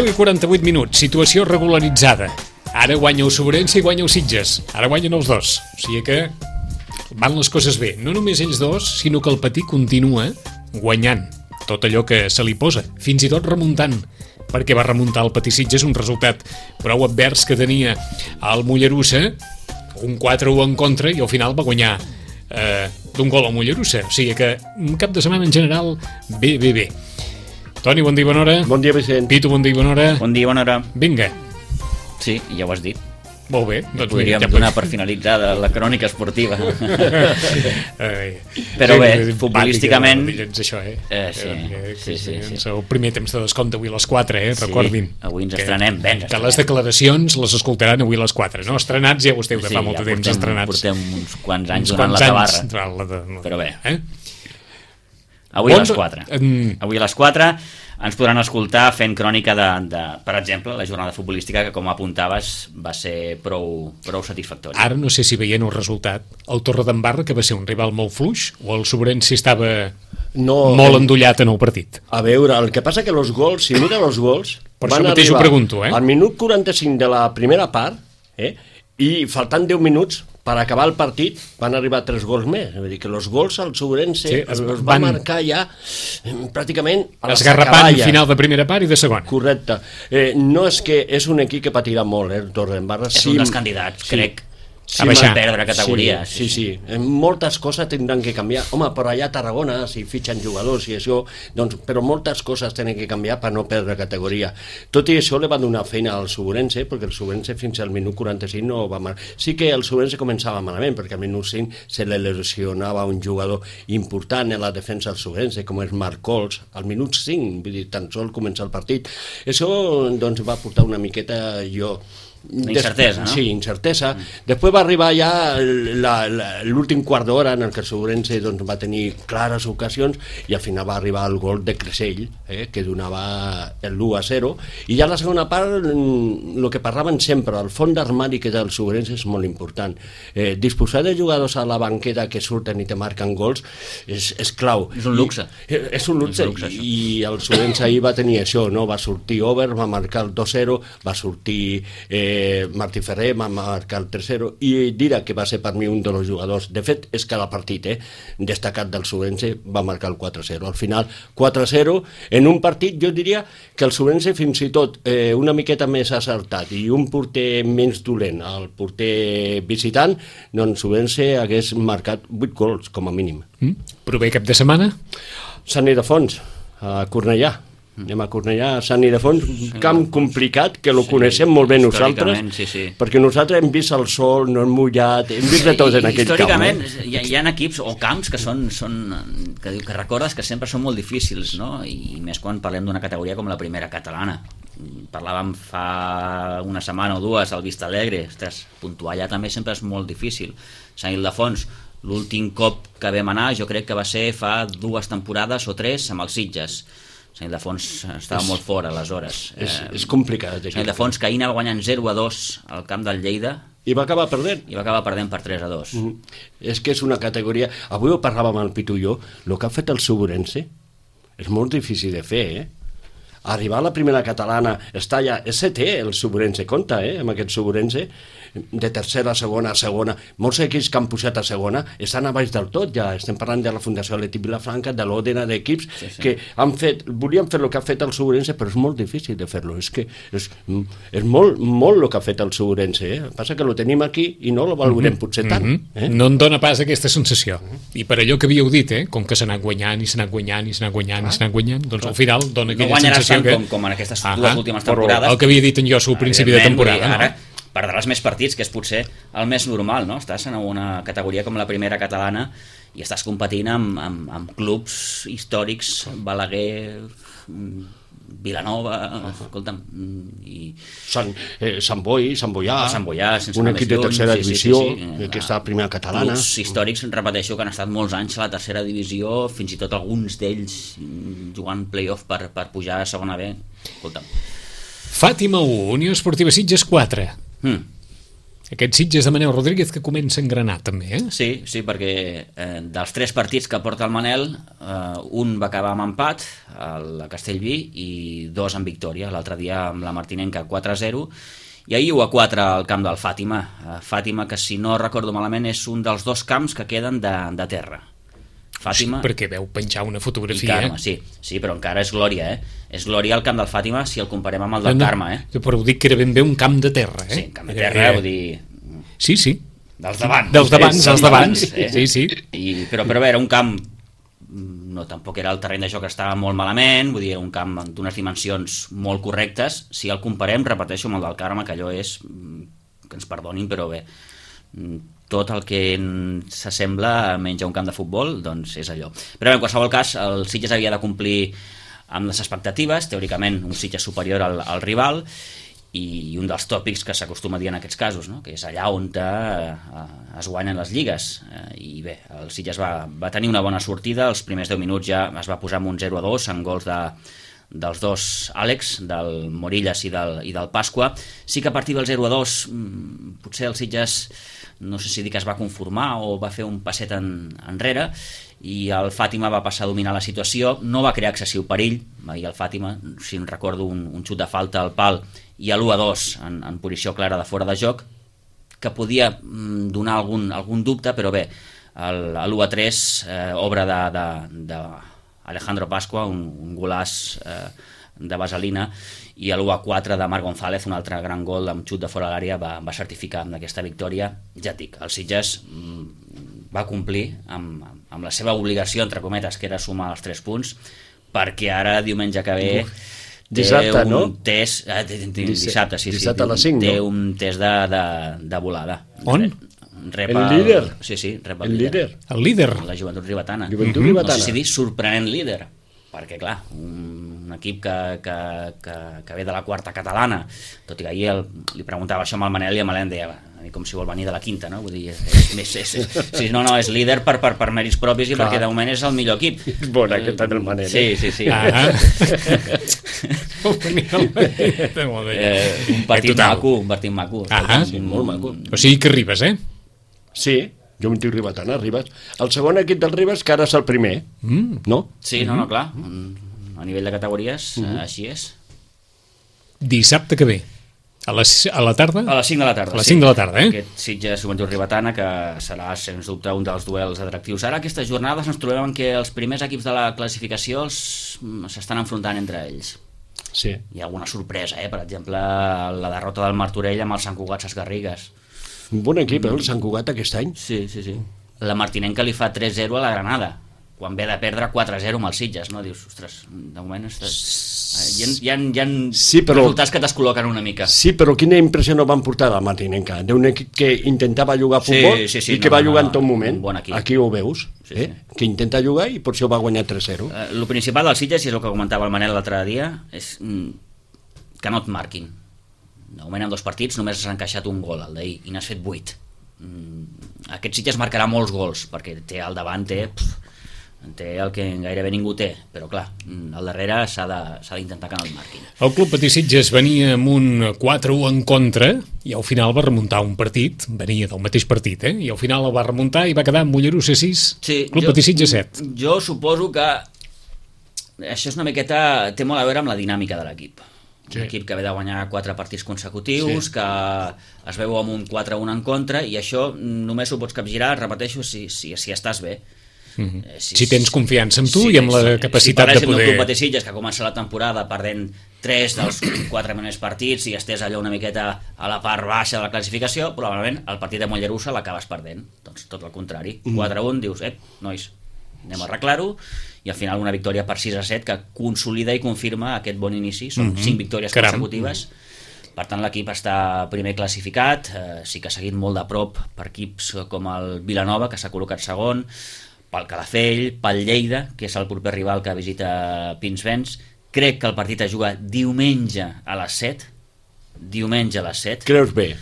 10:48, situació regularitzada. Ara guanya el Sobrense i guanya el Sitges. Ara guanyen els dos. O sigui que van les coses bé. No només ells dos, sinó que el Patí continua guanyant tot allò que se li posa, fins i tot remuntant, perquè va remuntar el Patí Sitges un resultat prou advers que tenia el Mollerussa, un 4-1 en contra, i al final va guanyar d'un gol al Mollerussa. O sigui que un cap de setmana en general bé. Toni, bon dia i bona hora. Bon dia, Vicent. Pitu, bon dia i bona hora. Bon dia i bona hora. Vinga. Sí, ja ho has dit. Molt bé. Doncs podríem donar per finalitzada la crònica esportiva. Però bé, futbolísticament... Això, Sí. El primer temps de descompte avui a les 4, recordin. Avui ens estrenem, que les declaracions les escoltaran avui a les 4, no? Estrenats ja ho esteu de fa molt de temps, estrenats. Portem uns quants anys donant la tabarra. Però bé. Avui a les 4. Avui a les 4 ens podran escoltar fent crònica de, per exemple, la jornada futbolística que, com apuntaves, va ser prou satisfactòria. Ara no sé si veient el resultat, el Torredembarra, que va ser un rival molt fluix, o el Sobrense estava molt endollat en el partit? A veure, el que passa que els gols, si mira els gols... Per això mateix ho pregunto, al minut 45 de la primera part, i faltant 10 minuts per acabar el partit, van arribar 3 gols més. Vull dir que els gols al Sobrense els va marcar ja pràcticament a la esgarrapant final de primera part i de segona. Correcte. No és que és un equip que patirà molt, el Torredembarra. És un dels candidats, crec. Sí, a perdre categoria. Sí. Moltes coses tindran que canviar. Home, per allà a Tarragona, si fitxen jugadors i això, doncs, però moltes coses tenen que canviar per no perdre categoria. Tot i això li va donar feina al Sobrense, perquè el Sobrense fins al minut 45 no va marcar. Sí que el Sobrense començava malament, perquè al minut 5 se li lesionava un jugador important en la defensa del Sobrense, com és Marc Cols, al minut 5, vull dir, tan sol començar el partit. Això doncs, va portar una miqueta incertesa, no? Sí, incertesa. Després va arribar ja l'últim quart d'hora en el que el Sobrense va tenir clares ocasions i al final va arribar el gol de Cressell, que donava el 1-0, i ja la segona part el que parlaven sempre, el fons d'armari que té el Sobrense és molt important. Disposar de jugadors a la banqueta que surten i te marquen gols és clau. És un luxe. És un luxe, i el Sobrense ahir va tenir això, no? Va sortir Over, va marcar el 2-0, va sortir Martí Ferrer, va marcar el 3-0, i dirà que va ser per mi un dels jugadors, de fet és cada partit destacat del Sobrense, va marcar el 4-0. Al final 4-0 en un partit, jo diria que el Sobrense fins i tot una miqueta més acertat i un porter menys dolent, el porter visitant, doncs Sobrense hagués marcat 8 gols com a mínim. Prové cap de setmana? Sant Ildefons, a Cornellà. Anem a Cornellà, a Sant Ildefons, un camp complicat, que lo coneixem molt bé nosaltres, perquè nosaltres hem vist el sol, no hem mullat, hem vist de tot en aquell camp. Històricament hi ha equips o camps que que recordes que sempre són molt difícils, no? I més quan parlem d'una categoria com la primera catalana. Parlàvem fa una setmana o dues al Vista Alegre, puntuar allà també sempre és molt difícil. Sant Ildefons, l'últim cop que vam anar jo crec que va ser fa 2 temporades o 3 amb els Sitges. Sant Ildefons estava molt fora aleshores. És complicat. Sant Ildefons que ahir anava guanyant 0-2 al camp del Lleida i va acabar perdent. I va acabar perdent per 3-2. És que és una categoria... Avui ho parlàvem amb el Pitu i jo, el que ha fet el Sobrense és molt difícil de fer, Arribar a la primera catalana, està allà, és setè el Sobrense, compta, amb aquest Sobrense, de tercera a segona. Molts equips que han pujat a segona estan a baix del tot, ja estem parlant de la Fundació Atlètic Vilafranca, de l'Òdena, d'equips que volien fer el que ha fet el Sobrense, però és molt difícil de fer-lo. És que és molt el que ha fet el Sobrense, Passa que lo tenim aquí i no lo valorem potser tant. No em dóna pas aquesta sensació. I per allò que havíeu dit, com que s'ha anat guanyant, doncs al final dona aquella sensació que... com en aquestes 2 últimes temporades. El que havia dit en jo al principi de temporada. Ara perdràs més partits, que és potser el més normal, no? Estàs en una categoria com la primera catalana i estàs competint amb clubs històrics, Balaguer, Vilanova, escolta'm, i... Sant Boià, un equip de tercera divisió, que està a primera catalana. Clubs històrics, repeteixo, que han estat molts anys a la tercera divisió, fins i tot alguns d'ells jugant play-off per pujar a segona B. Escolta'm. Fàtima 1, Unió Esportiva Sitges 4. Aquest Sitges de Manel Rodríguez que comença a engranar també, eh? Sí, perquè dels 3 partits que porta el Manel, un va acabar amb empat, a Castellví, i 2 amb victòria. L'altre dia amb la Martinenca 4-0, i ahir 1-4 al camp del Fàtima. Fàtima, que si no recordo malament és un dels 2 camps que queden de terra. Fàtima, Sí, perquè veu penjar una i fotografia. Carme, sí, però encara és glòria, És glòria el camp del Fàtima si el comparem amb el del Carme, Però ho dic que era ben bé un camp de terra, Sí, camp de terra, vull dir... Sí. Dels d'abans. Dels d'abans. Sí. Però a veure, un camp no, tampoc era el terreny de joc que estava molt malament, vull dir, un camp d'unes dimensions molt correctes. Si el comparem, repeteixo, amb el del Carme, que allò és, que ens perdonin, però bé, tot el que s'assembla menys a un camp de futbol, doncs és allò. Però en qualsevol cas, el Sitges havia de complir amb les expectatives, teòricament un Sitges superior al rival, i un dels tòpics que s'acostuma a dir en aquests casos, no? Que és allà on es guanyen les lligues, i bé, el Sitges va tenir una bona sortida. Els primers 10 minuts ja es va posar amb un 0-2 amb gols dels 2 Àlex, del Morillas i del Pasqua. Sí que a partir del 0-2 potser el Sitges, no sé si dir que es va conformar o va fer un passet enrere, i el Fàtima va passar a dominar la situació. No va crear excessiu perill, i el Fàtima, si em recordo, un xut de falta al pal i a l'1-2 en posició clara de fora de joc, que podia donar algun dubte, però bé, l'1-3 obra d'Alejandro Pasqua, un golàs de vaselina, i l'1-4 de Marc González, un altre gran gol amb xut de fora de l'àrea, va certificar amb aquesta victòria. Ja et dic, el Sitges va complir amb la seva obligació, entre cometes, que era sumar els 3 punts, perquè ara, diumenge que ve, dissabte, no? Test, dissabte, sí, dissabte a les 5, té no? un test de volada. On? Rep El líder? Sí, rep El líder? El líder. la Joventut Ribetana. Joventut Ribetana. No sé si dir sorprenent líder, perquè clar, un equip que ve de la 4ª catalana, tot i que ahir li preguntava això amb el Manel, i el Manel deia, com si vol venir de la 5ª, no? Vull dir, és líder per mèrits propis, i Clar. perquè de moment és el millor equip. És bona aquesta del Manel. Sí. Ah. Un partit maco. Ah, sí, molt maco. O sigui que arribes, eh? Sí, Joventut Ribetana, Ribes. El segon equip del Ribes, que ara és el primer, no? Sí, no, clar. A nivell de categories, així és. Dissabte que ve. A la tarda? A les 5 de la tarda. A les 5 de la tarda, Aquest Sitges Joventut Ribetana, que serà, sens dubte, un dels duels atractius. Ara, aquestes jornades, ens trobem en què els primers equips de la classificació s'estan enfrontant entre ells. Sí. Hi ha alguna sorpresa, per exemple, la derrota del Martorell amb el Sant Cugat Sesgarrigues. Un bon equip, el Sant Cugat, aquest any. Sí. La Martinenca li fa 3-0 a la Granada, quan ve de perdre 4-0 amb els Sitges, no? Dius, ostres, de moment hi ha Sí, però- resultats que t'escol·loquen una mica. Sí, però quina impressió no van portar la Martinenca? D'un equip que intentava jugar a futbol i que va jugar en tot moment. un bon equip. Aquí ho veus, Sí. que intenta jugar i per això va guanyar 3-0. El principal del Sitges, i és el que comentava el Manel l'altre dia, és que no et marquin. De moment, en 2 partits només has encaixat un gol, el d'ahir, i n'has fet 8. Aquest Sitges marcarà molts gols, perquè té al davant, té el que gairebé ningú té, però clar, al darrere s'ha d'intentar que no el marquin. El Club Patí Sitges venia amb un 4-1 en contra i al final va remuntar un partit, venia del mateix partit, i al final el va remuntar i va quedar amb Mollerussa 6, Club Patí Sitges 7. Jo suposo que això és una miqueta, té molt a veure amb la dinàmica de l'equip. Un equip que ve de guanyar 4 partits consecutius, que es veu amb un 4-1 en contra, i això només ho pots capgirar, repeteixo, si estàs bé. Si tens confiança en tu i amb la capacitat de Si parléssim poder... del Club Patí Sitges, que comença la temporada perdent 3 dels 4 primers partits i estés allò una miqueta a la part baixa de la classificació, probablement el partit de Mollerussa l'acabes perdent. Doncs tot el contrari. 4-1, dius, nois, anem a arreglar-ho, i al final una victòria per 6-7 que consolida i confirma aquest bon inici. Són 5 victòries consecutives. Per tant, l'equip està primer classificat, sí que ha seguit molt de prop per equips com el Vilanova, que s'ha col·locat segon, pel Calafell, pel Lleida, que és el proper rival que visita Pinsbens. Crec que el partit es juga diumenge a les 7. Diumenge a les 7. Creus bé,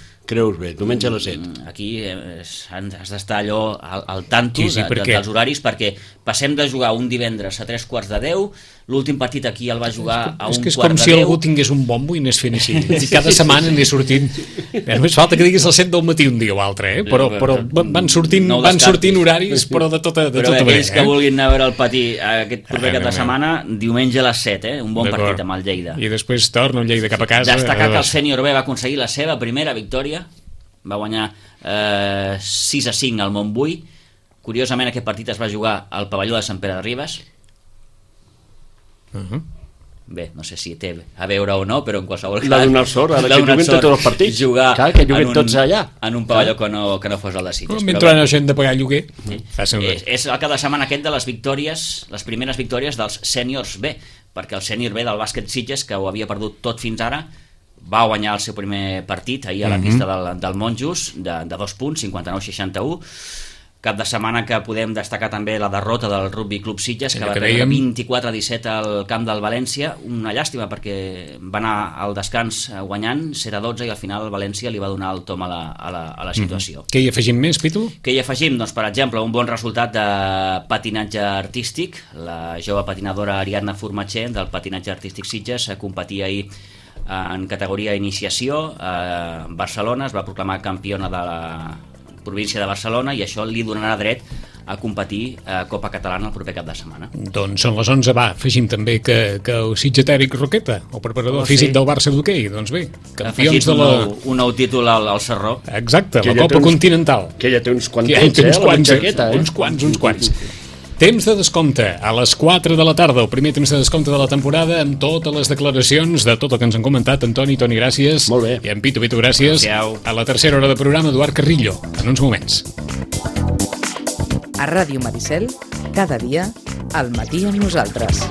diumenge a les 7. Aquí has d'estar allò al tanto Sí, perquè... dels horaris, perquè passem de jugar un divendres a 3:15, L'últim partit aquí el va jugar a un és que és quart com de si 10. algú tingués un bombo i anés fent així. I cada setmana anés sortint. Només falta que diguis el 7 del matí un dia o altre, però van sortint horaris, però de tota però manera. aquells que vulguin anar a veure el patí aquest proper cap de setmana, diumenge a les 7, un bon partit amb el Lleida. I després torna el Lleida cap a casa. Destacar que el sènior B va aconseguir la seva primera victòria, va guanyar 6-5 al Montbui. Curiosament aquest partit es va jugar al pavelló de Sant Pere de Ribes. Bé, no sé si té a veure o no, però en qualsevol cas... L'ha donat sort, ara que juguen tots els partits. Jugar que juguen tots allà. En un pavelló que no fos el de Sitges. Mentre la gent de pagar lloguer. És el cada setmana aquest de les victòries, les primeres victòries dels sèniors B, perquè el sènior B del bàsquet Sitges, que ho havia perdut tot fins ara, va guanyar el seu primer partit ahir a la pista del Monjos de 2 punts, 59-61. Cap de setmana que podem destacar també la derrota del Rugby Club Sitges, que va perdre 24-17 al camp del València. Una llàstima perquè va anar al descans guanyant 7-12 i al final el València li va donar el tom a la situació. Què hi afegim més, Pitu? Què hi afegim? Doncs, per exemple, un bon resultat de patinatge artístic. La jove patinadora Ariadna Formatxer del patinatge artístic Sitges competia ahir en categoria iniciació a Barcelona, es va proclamar campiona de la província de Barcelona i això li donarà dret a competir a Copa Catalana el proper cap de setmana. Doncs són les 11, afegim també que el sitgetèric Roqueta, el preparador físic del Barça d'hoquei, doncs bé, campions de la... un nou títol al Sarró. Exacte, la Copa Continental. Que ja té uns quants anys, la jaqueta. Uns quants. Temps de descompte a les 4 de la tarda, el primer temps de descompte de la temporada, amb totes les declaracions de tot el que ens han comentat. Toni, gràcies. Molt bé. I en Pitu, gràcies. A la tercera hora de programa, Eduard Carrillo, en uns moments. A Ràdio Maricel, cada dia, al matí amb nosaltres.